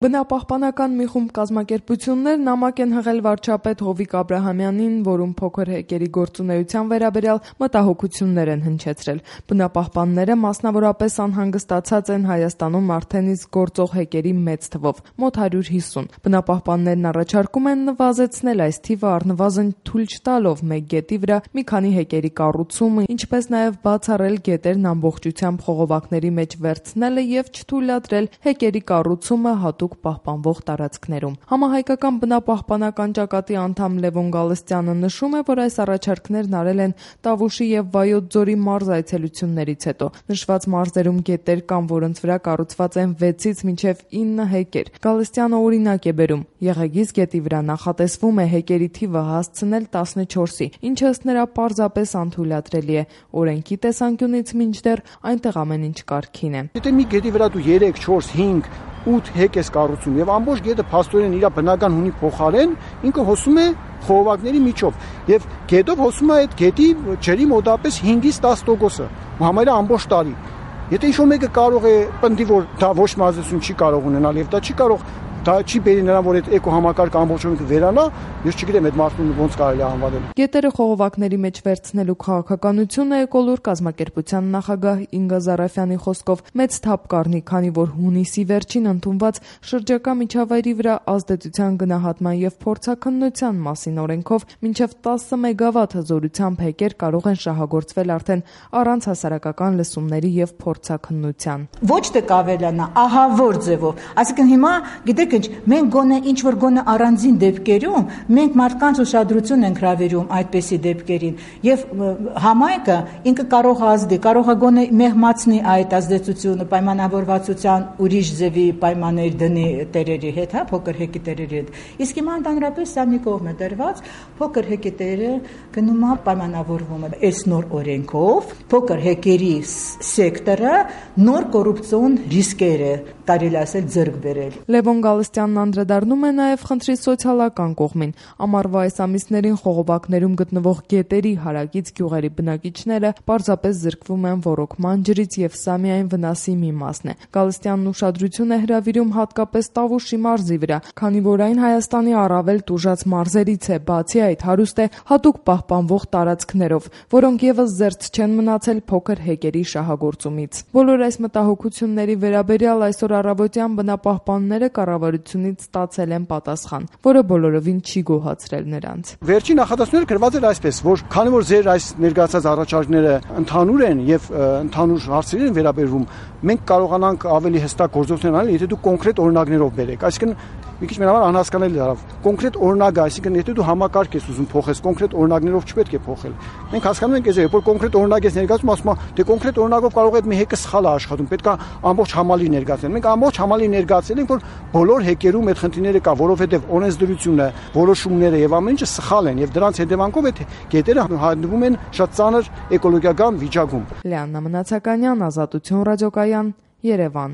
Բնապահպանական մի խումբ կազմակերպություններ նամակ են հղել վարչապետ Հովիկ Աբրահամյանին, որում փոքր հեկերի գործունեության վերաբերյալ մտահոգություններ են հնչեցրել։ Բնապահպանները մասնավորապես անհանգստացած են Հայաստանում արդեն իսկ գործող հեկերի մեծ թվով՝ մոտ 150։ Բնապահպաններն առաջարկում են նվազեցնել այս թիվը առնվազն թույլ չտալով մեկ գետի վրա մի քանի հեկերի կառուցումը, ինչպես նաև բացառել գետերն ամբողջությամբ խողովակների մեջ վերցնելը եւ չթույլատրել հեկերի կառուցումը հատուկ պահպանվող տարածքներում։ Համահայկական բնապահպանական ճակատի անդամ Լևոն Գալստյանը նշում է, որ այս առաջարկներն արել են Տավուշի եւ Վայոց ձորի մարզ այցելություններից հետո։ Նշված մարզերում գետեր կան, որոնց վրա կառուցված են 6-ից մինչև 9 հեկեր։ Գալստյանը օրինակ է բերում. Եղեգիս գետի վրա նախատեսվում է հեկերի թիվը հասցնել 14-ի, ինչը ըստ նրա պարզապես անթույլատրելի է։ Օրենքի տեսանկյունից մինչդեռ այնտեղ ամեն ինչ կարգին է։ Եթե մի գետի վրա դու 3, 4, 5 8 հեկ ես կառուցում եւ ամբողջ գետը փաստորեն իր բնական հունի փոխարեն ինքը հոսում է խողովակների միջով եւ գետով հոսում է այդ գետի ջրի մոտավորապես 5-ից 10%-ը համարյա ամբողջ տարի։ Եթե ինչ-որ մեկը կարող է պնդի, որ դա ոչ մարզություն չի կարող ունենալ եւ դա չի կարող, դա չի բերի նրան, որ այդ էկո համակարգը ամբողջովին վերանա, ես չգիտեմ այդ մարդուն ոնց կարելի է անվանել։ Գետերը խողովակների մեջ վերցնելու քաղաքականությունը Էկոլուր կազմակերպության նախագահ Ինգա Զարաֆյանի խոսքով մեծ թափ կառնի, քանի որ հունիսի վերջին ընդունված շրջակա միջավայրի վրա ազդեցության գնահատման եւ փորձաքննության մասին օրենքով մինչեւ 10 մեգավատ հզորությամբ հեկեր կարող են շահագործվել արդեն առանց հասարակական լսումների եւ փորձաքննության։ Ոչ թե կավելանա, ահա որ ձևով, այսինքն հիմա գիտեք ինչ, մենք գոնե ինչ որ գոնե առանձին դեպքերում մենք մարդկանց ուշադրություն ենք հրավիրում այդպիսի դեպքերին եւ համայնքը ինքը կարող է ազդի, կարող է գոնե մեղմացնի այդ ազդեցությունը պայմանավորվածության ուրիշ ձևի պայմաններ դնի տերերի հետ, հա, փոքր հեկի տերերի հետ։ Իսկ հիմա ընդհանրապես սա մի կողմ է դրված, փոքր հեկի տերը գնում է պայմանավորվում է այս նոր օրենքով, փոքր հեկերի սեկտորը նոր կոռուպցիոն ռիսկերը կարելի ասել ձեռք բերել։ Լևոն Գալստյանն անդրադառնում է նաև խնդրի սոցիալական կողմին։ Ամառվա այս ամիսներին խողովակներում գտնվող գետերի հարակից գյուղերի բնակիչները պարզապես զրկվում են ոռոգման ջրից եւ սա միայն վնասի մի մասն է։ Գալստյանն ուշադրություն է հրավիրում հատկապես Տավուշի մարզի վրա, քանի որ այն Հայաստանի առավել տուժած մարզերից է, բացի այդ հարուստ է հատուկ պահպանվող տարածքներով, որոնք եւս զերծ չեն մնացել փոքր հեկերի շահագործումից։ Բոլոր այս մտահոգությունների վերաբերյալ այսօր առավոտյան բնապահպանները կառավարությունից ստացել են պատասխան, որը բոլորովին չի գոհացրել նրանց։ Վերջին նախադասությունը գրված էր այսպես, որ քանի որ ձեր այս ներկայացած առաջարկները ընդհանուր են եւ ընդհանուր հարցերին վերաբերվում, մենք կարողանանք ավելի հստակ գործողություններ անել, եթե դու կոնկրետ օրինակներով բերեք։ Այսինքն մի քիչ մենավոր անհասկանալի դառավ։ Կոնկրետ օրինակը, այսինքն եթե դու համակարգ ես ուզում փոխես, կոնկրետ օրինակներով չպետք է փոխել։ Մենք հասկանում ենք, որ կոնկրետ օրինակ ես ներկայացում, ասում եմ, դե կոնկրետ օրինակով կարող է մի հեկը սխալ է աշխատում, պետք է ամբողջ համալի ներկայացնել։ Մենք ամբողջ համալի ներկայացել ենք, որ բոլոր հեկերում այդ խնդիրները կա, որովհետև օրենսդրությունը, որոշումները եւ ամեն ինչը սխալ են եւ դրանց հետևանքով այդ գետերը հայտնվում են շատ ծանր էկոլոգիական վիճակում։ Լիաննա Մնացականյան, Ազատություն ռադիոկայան, Երևան։